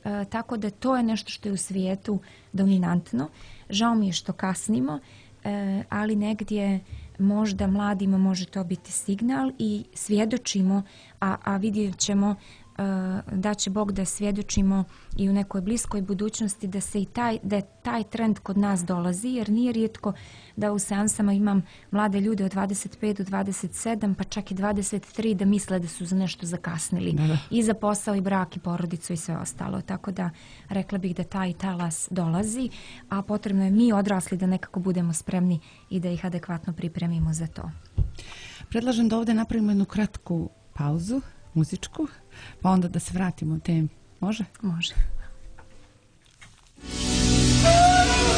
Uh, tako da to je nešto što je u svijetu dominantno. Žao mi je što kasnimo, uh, ali negdje možda mladima može to biti signal i svjedočimo, a, a vidjet ćemo uh, da će Bog da svjedočimo i u nekoj bliskoj budućnosti da se i taj, da je taj trend kod nas dolazi, jer nije rijetko da u seansama imam mlade ljude od dvadeset pet do dvadeset sedam, pa čak i dvadeset tri, da misle da su za nešto zakasnili. Da, da. I za posao, i brak, i porodicu, i sve ostalo. Tako da rekla bih da taj talas dolazi, a potrebno je mi odrasli da nekako budemo spremni i da ih adekvatno pripremimo za to. Predlažem da ovdje napravimo jednu kratku pauzu, muzičku, pa onda da se vratimo u temu. Može? Može. Daleti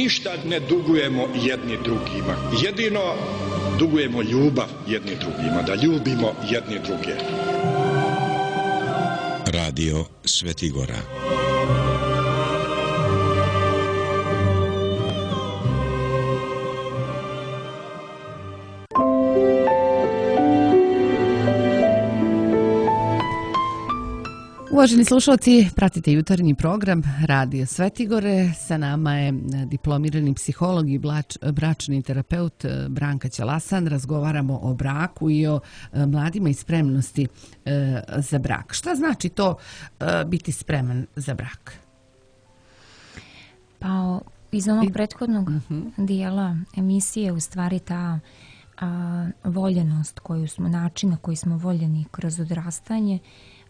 ništa ne dugujemo jedni drugima. Jedino dugujemo ljubav jedni drugima, da ljubimo jedni druge. Radio Svetigora. Uvaženi slušalci, pratite jutarnji program Radio Svetigore. Sa nama je diplomirani psiholog i blač, bračni terapeut Branka Ćelasan. Razgovaramo o braku i o mladima i spremnosti e, za brak. Šta znači to e, biti spreman za brak? Pa iz onog prethodnog uh-huh. dijela emisije u stvari ta a, voljenost koju smo, način na koji smo voljeni kroz odrastanje,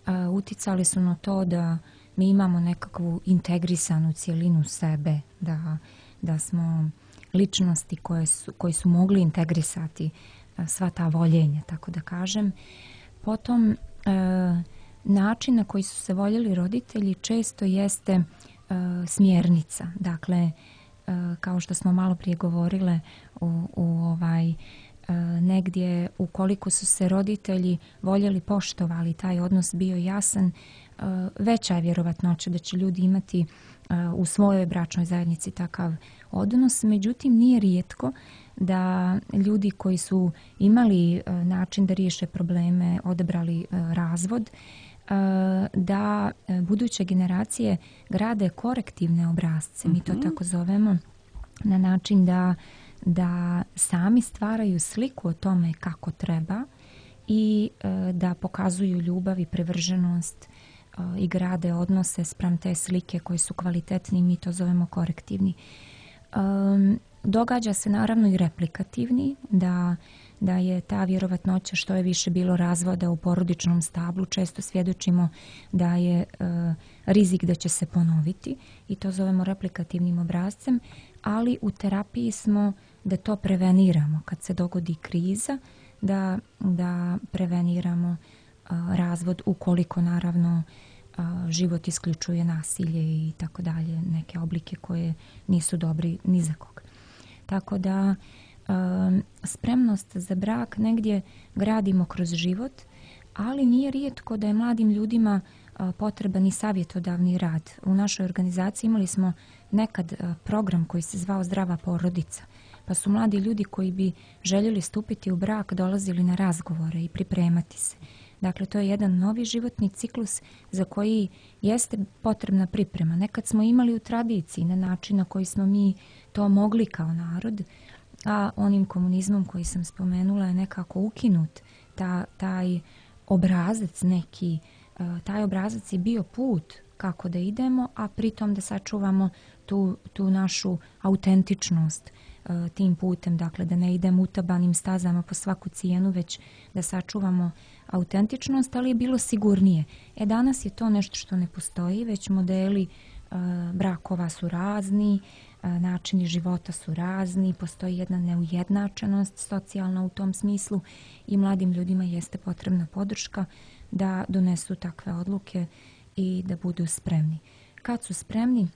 a, uticali su na to da mi imamo nekakvu integrisanu cijelinu sebe, da, da smo ličnosti koje su, koji su mogli integrisati a, sva ta voljenja, tako da kažem. Potom a, način na koji su se voljeli roditelji često jeste a, smjernica. Dakle, a, kao što smo malo prije govorile u, u ovaj negdje ukoliko su se roditelji voljeli, poštovali, taj odnos bio jasan, veća je vjerovatnoća da će ljudi imati u svojoj bračnoj zajednici takav odnos. Međutim, nije rijetko da ljudi koji su imali način da riješe probleme, odabrali razvod, da buduće generacije grade korektivne obrasce, mi to tako zovemo, na način da da sami stvaraju sliku o tome kako treba i e, da pokazuju ljubav i privrženost e, i grade odnose spram te slike koji su kvalitetni, mi to zovemo korektivni. E, događa se naravno i replikativni, da, da je ta vjerovatnoća što je više bilo razvoda u porodičnom stablu, često svjedočimo da je e, rizik da će se ponoviti i to zovemo replikativnim obrascem, ali u terapiji smo da to preveniramo kad se dogodi kriza, da, da preveniramo a, razvod ukoliko naravno a, život isključuje nasilje i tako dalje, neke oblike koje nisu dobri ni za koga. Tako da a, spremnost za brak negdje gradimo kroz život, ali nije rijetko da je mladim ljudima a, potreban i savjetodavni rad. U našoj organizaciji imali smo nekad a, program koji se zvao Zdrava porodica, pa su mladi ljudi koji bi željeli stupiti u brak dolazili na razgovore i pripremati se. Dakle, to je jedan novi životni ciklus za koji jeste potrebna priprema. Nekad smo imali u tradiciji na način na koji smo mi to mogli kao narod, a onim komunizmom koji sam spomenula je nekako ukinut ta, taj obrazac neki, taj obrazac je bio put kako da idemo, a pritom da sačuvamo tu, tu našu autentičnost tim putem, dakle da ne idemo utabanim stazama po svaku cijenu, već da sačuvamo autentičnost, ali je bilo sigurnije. E danas je to nešto što ne postoji, već modeli e, brakova su razni, e, načini života su razni, postoji jedna neujednačenost socijalna u tom smislu i mladim ljudima jeste potrebna podrška da donesu takve odluke i da budu spremni. Kad su spremni,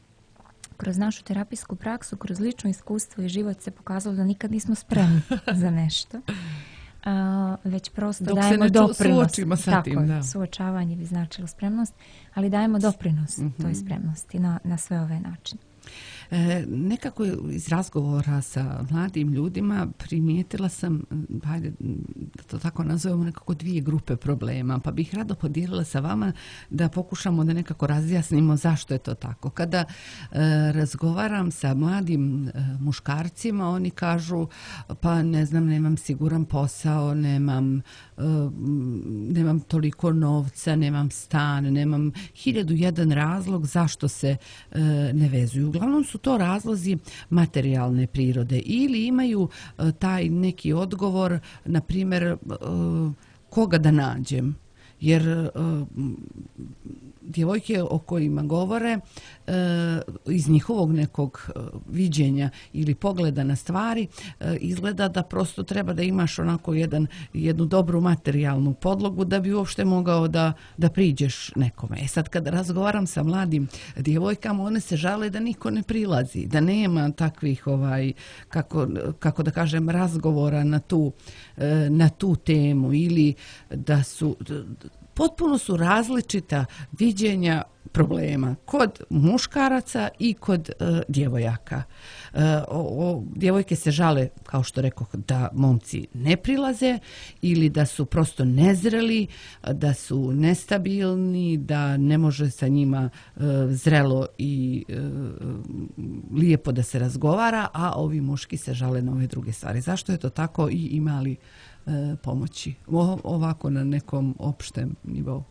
kroz našu terapijsku praksu, kroz lično iskustvo i život se pokazalo da nikad nismo spremni za nešto. Uh, već prosto dok dajemo se doprinos. Sa Tako tim, da. Suočavanje bi značilo spremnost, ali dajemo doprinos mm-hmm. toj spremnosti na, na sve ove načine. E, nekako iz razgovora sa mladim ljudima primijetila sam, hajde da to tako nazovemo, nekako dvije grupe problema, pa bih rado podijelila sa vama da pokušamo da nekako razjasnimo zašto je to tako. Kada e, razgovaram sa mladim e, muškarcima, oni kažu pa ne znam, nemam siguran posao, nemam, e, nemam toliko novca, nemam stan, nemam hiljadu jedan razlog zašto se e, ne vezuju. Uglavnom su to razlozi materijalne prirode ili imaju uh, taj neki odgovor, na primjer, uh, koga da nađem jer djevojke o kojima govore iz njihovog nekog viđenja ili pogleda na stvari izgleda da prosto treba da imaš onako jedan, jednu dobru materijalnu podlogu da bi uopšte mogao da, da priđeš nekome. E sad kad razgovaram sa mladim djevojkama, one se žale da niko ne prilazi, da nema takvih ovaj, kako, kako da kažem, razgovora na tu, na tu temu ili da su potpuno su različita viđenja problema kod muškaraca i kod e, djevojaka. E, o, o, djevojke se žale, kao što rekoh, da momci ne prilaze ili da su prosto nezreli, da su nestabilni, da ne može sa njima e, zrelo i e, lijepo da se razgovara, a ovi muški se žale na ove druge stvari. Zašto je to tako i ima li e, pomoći o, ovako na nekom opštem nivou?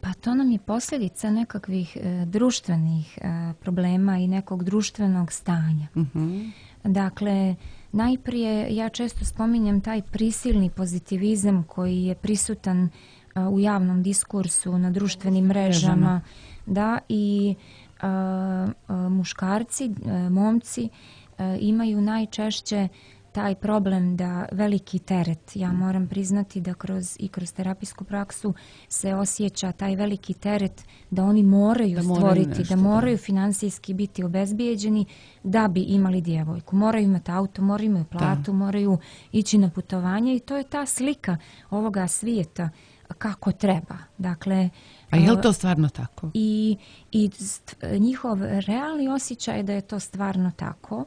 Pa to nam je posljedica nekakvih e, društvenih e, problema i nekog društvenog stanja. Mm-hmm. Dakle, najprije ja često spominjem taj prisilni pozitivizam koji je prisutan e, u javnom diskursu, na društvenim mrežama, da, i e, e, muškarci, e, momci e, imaju najčešće taj problem da veliki teret, ja moram priznati da kroz i kroz terapijsku praksu se osjeća taj veliki teret da oni moraju da stvoriti, moraju nešto, da moraju da. financijski biti obezbijeđeni da bi imali djevojku. Moraju imati auto, moraju imati platu, da. moraju ići na putovanje i to je ta slika ovoga svijeta kako treba. Dakle, a je li to stvarno tako? I, i njihov realni osjećaj je da je to stvarno tako.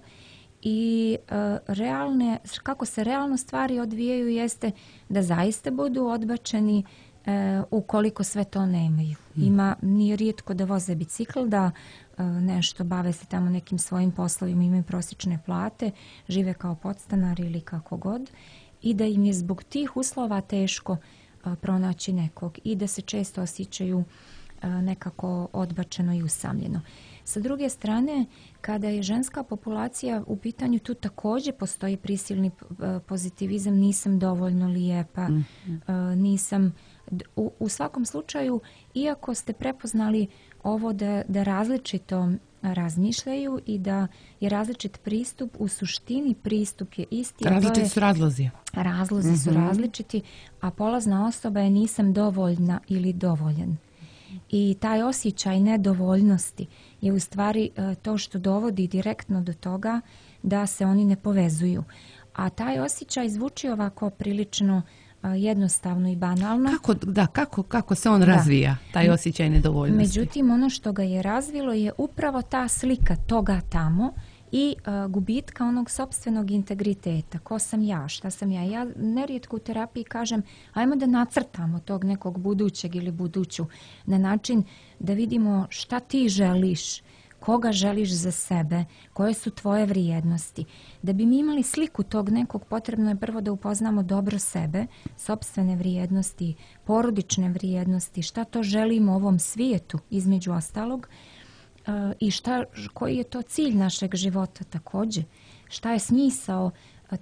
I uh, realne, kako se realno stvari odvijaju jeste da zaista budu odbačeni uh, ukoliko sve to nemaju. Hmm. Ima, nije rijetko da voze bicikl, da uh, nešto bave se tamo nekim svojim poslovima, imaju prosječne plate, žive kao podstanari ili kako god i da im je zbog tih uslova teško uh, pronaći nekog i da se često osjećaju uh, nekako odbačeno i usamljeno. Sa druge strane, kada je ženska populacija u pitanju, tu također postoji prisilni pozitivizam, nisam dovoljno lijepa, mm-hmm. nisam... U, u svakom slučaju, iako ste prepoznali ovo da, da različito razmišljaju i da je različit pristup, u suštini pristup je isti. Različiti je, su razlozi. Razlozi mm-hmm. su različiti, a polazna osoba je nisam dovoljna ili dovoljan. I taj osjećaj nedovoljnosti je u stvari to što dovodi direktno do toga da se oni ne povezuju. A taj osjećaj zvuči ovako prilično jednostavno i banalno. Kako, da, kako, kako se on da. razvija, taj osjećaj nedovoljnosti? Međutim, ono što ga je razvilo je upravo ta slika toga tamo i uh, gubitka onog sopstvenog integriteta. Ko sam ja, šta sam ja? Ja nerijetko u terapiji kažem, ajmo da nacrtamo tog nekog budućeg ili buduću na način da vidimo šta ti želiš, koga želiš za sebe, koje su tvoje vrijednosti. Da bi mi imali sliku tog nekog, potrebno je prvo da upoznamo dobro sebe, sopstvene vrijednosti, porodične vrijednosti, šta to želimo u ovom svijetu, između ostalog, i šta, koji je to cilj našeg života također, šta je smisao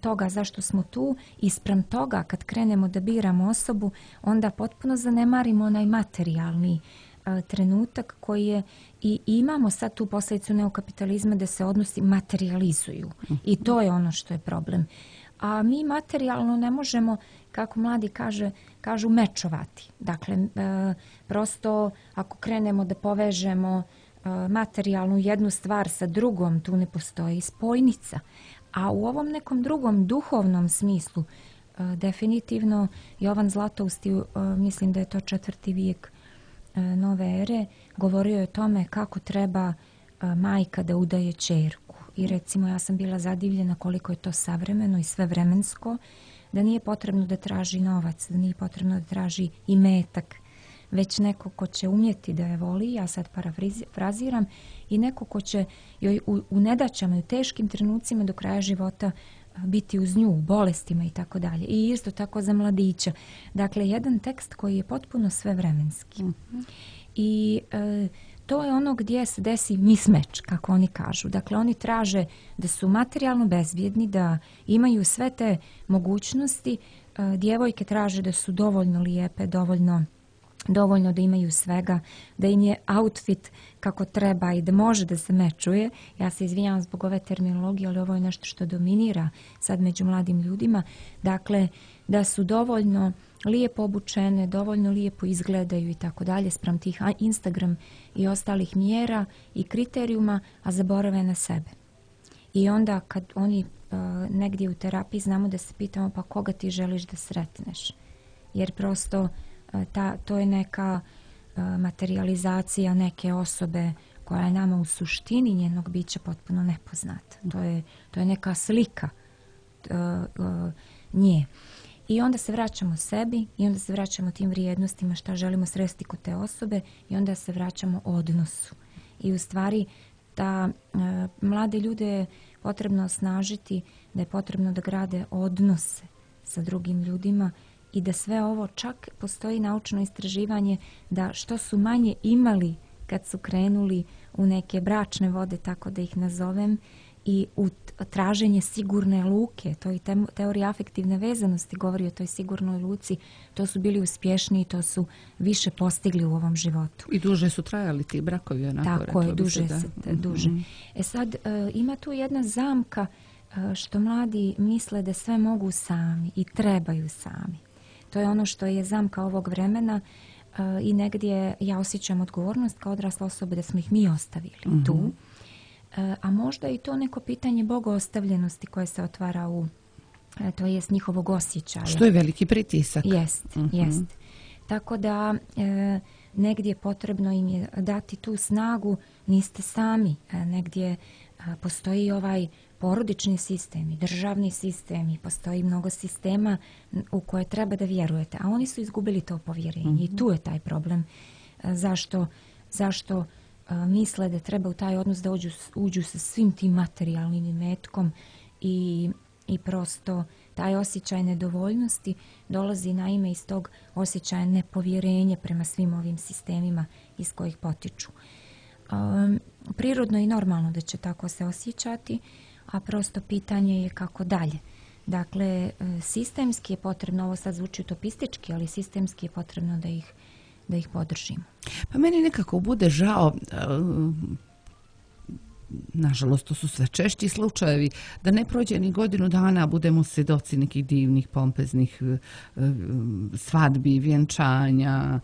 toga zašto smo tu i sprem toga kad krenemo da biramo osobu, onda potpuno zanemarimo onaj materijalni a, trenutak koji je i imamo sad tu posljedicu neokapitalizma da se odnosi materializuju i to je ono što je problem. A mi materijalno ne možemo, kako mladi kaže, kažu mečovati. Dakle, e, prosto ako krenemo da povežemo materijalnu jednu stvar sa drugom, tu ne postoji spojnica. A u ovom nekom drugom duhovnom smislu, definitivno Jovan Zlatousti, mislim da je to četvrti vijek nove ere, govorio je o tome kako treba majka da udaje ćerku. I recimo ja sam bila zadivljena koliko je to savremeno i svevremensko, da nije potrebno da traži novac, da nije potrebno da traži imetak, već neko ko će umjeti da je voli, ja sad parafraziram, i neko ko će joj u, u nedaćama i u teškim trenucima do kraja života biti uz nju, u bolestima i tako dalje. I isto tako za mladića. Dakle, jedan tekst koji je potpuno svevremenski. Mm-hmm. I e, to je ono gdje se desi mismeč, kako oni kažu. Dakle, oni traže da su materijalno bezbjedni, da imaju sve te mogućnosti, e, djevojke traže da su dovoljno lijepe, dovoljno dovoljno da imaju svega, da im je outfit kako treba i da može da se mečuje. Ja se izvinjavam zbog ove terminologije, ali ovo je nešto što dominira sad među mladim ljudima. Dakle, da su dovoljno lijepo obučene, dovoljno lijepo izgledaju i tako dalje spram tih Instagram i ostalih mjera i kriterijuma, a zaborave na sebe. I onda kad oni uh, negdje u terapiji znamo da se pitamo pa koga ti želiš da sretneš. Jer prosto Ta, to je neka uh, materializacija neke osobe koja je nama u suštini njenog bića potpuno nepoznata. To je, to je neka slika uh, uh, nje. I onda se vraćamo sebi i onda se vraćamo tim vrijednostima šta želimo sresti kod te osobe i onda se vraćamo odnosu. I u stvari da uh, mlade ljude je potrebno osnažiti, da je potrebno da grade odnose sa drugim ljudima i da sve ovo, čak postoji naučno istraživanje da što su manje imali kad su krenuli u neke bračne vode, tako da ih nazovem, i u traženje sigurne luke, to i teorija afektivne vezanosti govori o toj sigurnoj luci, to su bili uspješniji, to su više postigli u ovom životu. I duže su trajali ti brakovi, onako. Tako je, duže. Se, se, duže. Mm-hmm. E sad, uh, ima tu jedna zamka uh, što mladi misle da sve mogu sami i trebaju sami. To je ono što je zamka ovog vremena uh, i negdje ja osjećam odgovornost kao odrasla osoba da smo ih mi ostavili mm-hmm. tu. Uh, a možda i to neko pitanje bogoostavljenosti koje se otvara u, uh, to jest njihovog osjećaja. Što je veliki pritisak. Jest, mm-hmm. jest. Tako da uh, negdje potrebno im je dati tu snagu, niste sami. Uh, negdje uh, postoji ovaj porodični sistem i državni sistem i postoji mnogo sistema u koje treba da vjerujete, a oni su izgubili to povjerenje mm-hmm. i tu je taj problem. Zašto, zašto uh, misle da treba u taj odnos da uđu, uđu sa svim tim materijalnim imetkom i, i prosto taj osjećaj nedovoljnosti dolazi naime iz tog osjećaja nepovjerenja prema svim ovim sistemima iz kojih potiču. Um, prirodno i normalno da će tako se osjećati, a prosto pitanje je kako dalje. Dakle, sistemski je potrebno, ovo sad zvuči utopistički, ali sistemski je potrebno da ih, da ih podržimo. Pa meni nekako bude žao, nažalost to su sve češći slučajevi, da ne prođe ni godinu dana, budemo svjedoci nekih divnih, pompeznih svadbi, vjenčanja,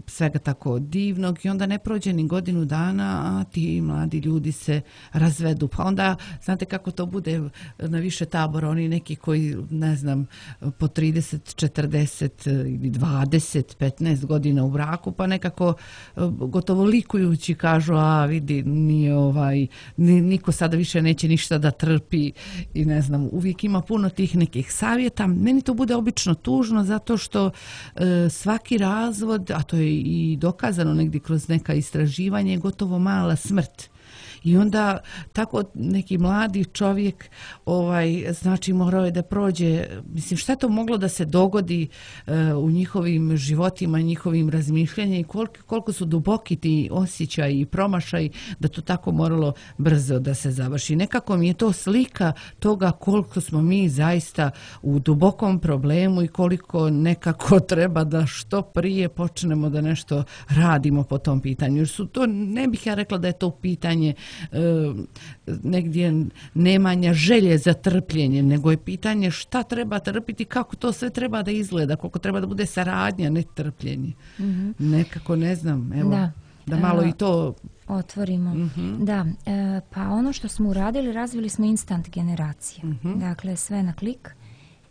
svega tako divnog i onda ne prođe ni godinu dana, a ti mladi ljudi se razvedu. Pa onda, znate kako to bude na više tabora, oni neki koji, ne znam, po trideset, četrdeset ili dvadeset, petnaest godina u braku, pa nekako gotovo likujući kažu, a vidi, nije ovaj, niko sada više neće ništa da trpi i ne znam, uvijek ima puno tih nekih savjeta. Meni to bude obično tužno zato što e, svaki razvod, a to je i dokazano negdje kroz neka istraživanja, je gotovo mala smrt. I onda tako neki mladi čovjek ovaj, znači morao je da prođe, mislim šta je to moglo da se dogodi uh, u njihovim životima, njihovim razmišljanjima i koliko, koliko su duboki ti osjećaji i promašaji da to tako moralo brzo da se završi. Nekako mi je to slika toga koliko smo mi zaista u dubokom problemu i koliko nekako treba da što prije počnemo da nešto radimo po tom pitanju. Jer su to, ne bih ja rekla da je to pitanje E, negdje nemanja želje za trpljenje, nego je pitanje šta treba trpiti, kako to sve treba da izgleda, koliko treba da bude saradnja, ne trpljenje. Mm-hmm. Nekako ne znam, evo, da, da malo e, i to otvorimo. Mm-hmm. Da, e, pa ono što smo uradili, razvili smo instant generacije. Mm-hmm. Dakle, sve na klik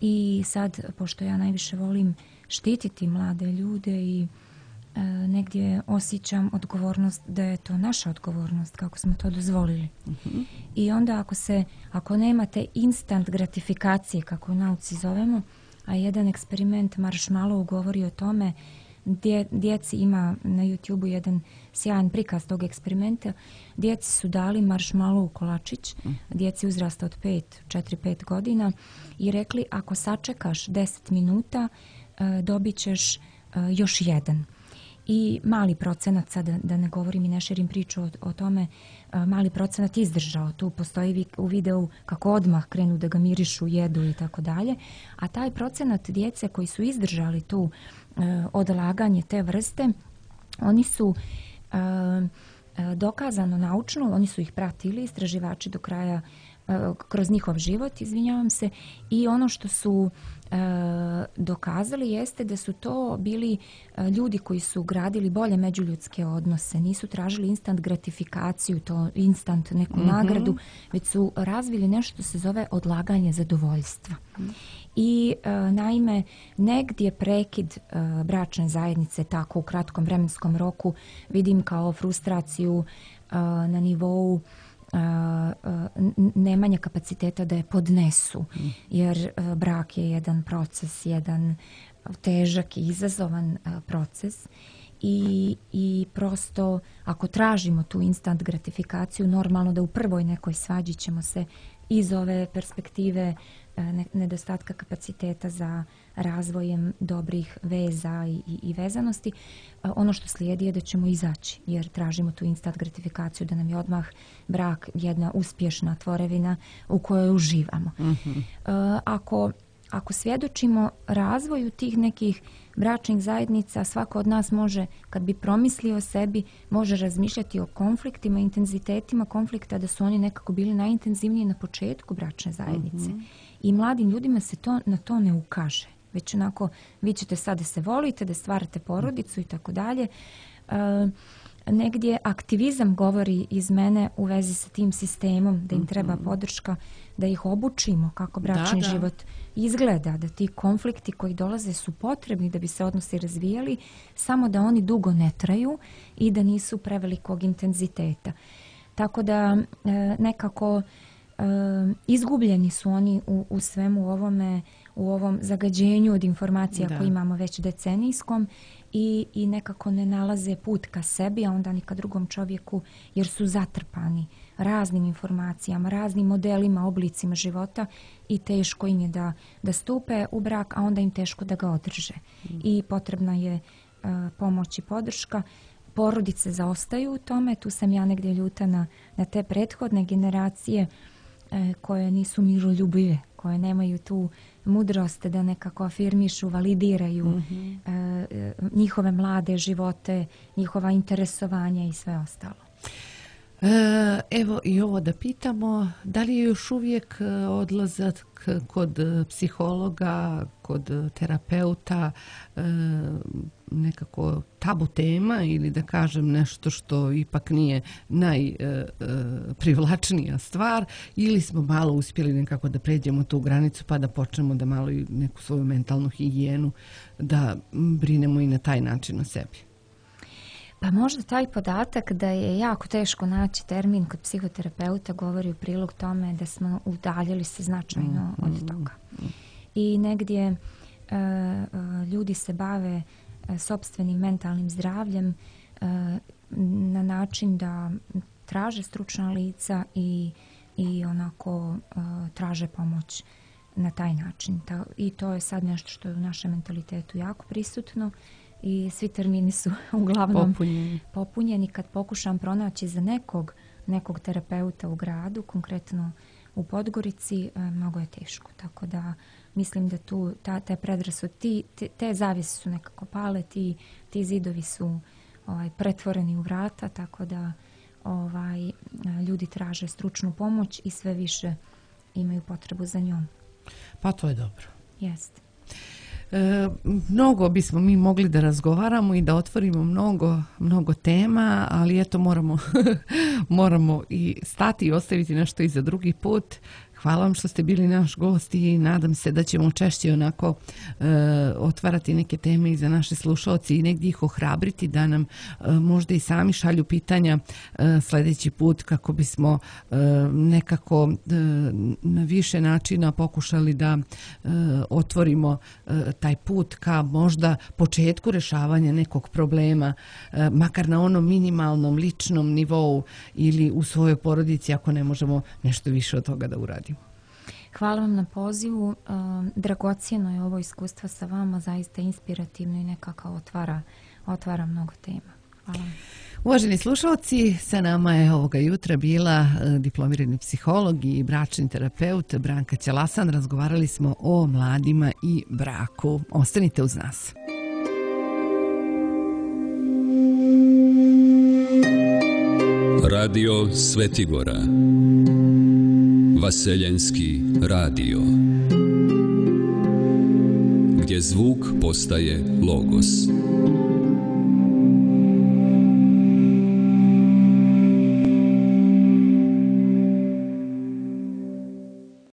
i sad, pošto ja najviše volim štititi mlade ljude i E, negdje osjećam odgovornost da je to naša odgovornost kako smo to dozvolili. Uh-huh. I onda ako se ako nemate instant gratifikacije kako u nauci zovemo, a jedan eksperiment Marshmallow govori o tome, dje, djeci ima na YouTubeu jedan sjajan prikaz tog eksperimenta, djeci su dali Marshmallow kolačić, uh-huh. djeci uzrasta od pet, četiri pet godina i rekli ako sačekaš deset minuta e, dobit ćeš e, još jedan. i mali procenat, sad da, da ne govorim i ne širim priču o, o tome, a, mali procenat izdržao. Tu postoji vi, u videu kako odmah krenu da ga mirišu, jedu i tako dalje. A taj procenat djece koji su izdržali tu a, odlaganje te vrste, oni su a, a, dokazano naučno, oni su ih pratili, istraživači do kraja kroz njihov život, izvinjavam se, i ono što su e, dokazali jeste da su to bili e, ljudi koji su gradili bolje međuljudske odnose, nisu tražili instant gratifikaciju, to instant neku mm-hmm. nagradu, već su razvili nešto što se zove odlaganje zadovoljstva. Mm. I e, naime, negdje prekid e, bračne zajednice tako u kratkom vremenskom roku vidim kao frustraciju e, na nivou nemanja kapaciteta da je podnesu, jer brak je jedan proces, jedan težak i izazovan proces i, i prosto ako tražimo tu instant gratifikaciju, normalno da u prvoj nekoj svađi ćemo se iz ove perspektive nedostatka kapaciteta za razvojem dobrih veza i, i, i vezanosti, ono što slijedi je da ćemo izaći, jer tražimo tu instant gratifikaciju, da nam je odmah brak jedna uspješna tvorevina u kojoj uživamo. Mm-hmm. Ako, ako svjedočimo razvoju tih nekih bračnih zajednica, svako od nas može, kad bi promislio o sebi, može razmišljati o konfliktima, intenzitetima konflikta, da su oni nekako bili najintenzivniji na početku bračne zajednice. Mm-hmm. I mladim ljudima se to na to ne ukaže. Već onako, vi ćete sad da se volite, da stvarate porodicu i tako dalje. Negdje aktivizam govori iz mene u vezi sa tim sistemom, da im treba podrška, da ih obučimo kako bračni da, da. život izgleda, da ti konflikti koji dolaze su potrebni da bi se odnosi razvijali, samo da oni dugo ne traju i da nisu prevelikog intenziteta. Tako da nekako Uh, izgubljeni su oni u, u svemu ovome, u ovom zagađenju od informacija da. koje imamo već decenijskom i, i nekako ne nalaze put ka sebi, a onda ni ka drugom čovjeku, jer su zatrpani raznim informacijama, raznim modelima, oblicima života i teško im je da, da stupe u brak, a onda im teško da ga održe. Mm. I potrebna je uh, pomoć i podrška. Porodice zaostaju u tome, tu sam ja negdje ljuta na, na te prethodne generacije koje nisu miroljubive, koje nemaju tu mudrost da nekako afirmišu, validiraju mm-hmm. e, njihove mlade živote, njihova interesovanja i sve ostalo. E, evo i ovo da pitamo, da li je još uvijek odlazak kod psihologa, kod terapeuta e, nekako tabu tema ili da kažem nešto što ipak nije najprivlačnija stvar, ili smo malo uspjeli nekako da pređemo tu granicu pa da počnemo da malo i neku svoju mentalnu higijenu da brinemo i na taj način o sebi? Pa možda taj podatak da je jako teško naći termin kod psihoterapeuta govori u prilog tome da smo udaljili se značajno mm, od toga. Mm, mm. I negdje uh, uh, ljudi se bave uh, sopstvenim mentalnim zdravljem uh, na način da traže stručna lica i, i onako uh, traže pomoć na taj način. Ta, I to je sad nešto što je u našem mentalitetu jako prisutno. I svi termini su uglavnom popunjeni. popunjeni. Kad pokušam pronaći za nekog, nekog terapeuta u gradu, konkretno u Podgorici, mnogo je teško. Tako da mislim da tu ta, te predrasud, ti, te, te zavjese su nekako pale, ti, ti zidovi su ovaj, pretvoreni u vrata, tako da ovaj, ljudi traže stručnu pomoć i sve više imaju potrebu za njom. Pa to je dobro. Jeste. E, mnogo bismo mi mogli da razgovaramo i da otvorimo mnogo, mnogo tema, ali eto moramo, moramo i stati i ostaviti nešto i za drugi put. Hvala vam što ste bili naš gost i nadam se da ćemo češće onako e, otvarati neke teme i za naše slušaoci i negdje ih ohrabriti da nam e, možda i sami šalju pitanja e, sljedeći put kako bismo e, nekako e, na više načina pokušali da e, otvorimo e, taj put ka možda početku rješavanja nekog problema, e, makar na onom minimalnom ličnom nivou ili u svojoj porodici ako ne možemo nešto više od toga da uradimo. Hvala vam na pozivu. Uh, dragocjeno je ovo iskustvo sa vama, zaista inspirativno i nekako otvara, otvara mnogo tema. Hvala. Uvaženi slušalci, sa nama je ovoga jutra bila diplomirani psiholog i bračni terapeut Branka Ćelasan. Razgovarali smo o mladima i braku. Ostanite uz nas. Radio Svetigora, Vaseljenski radio, gdje zvuk postaje logos.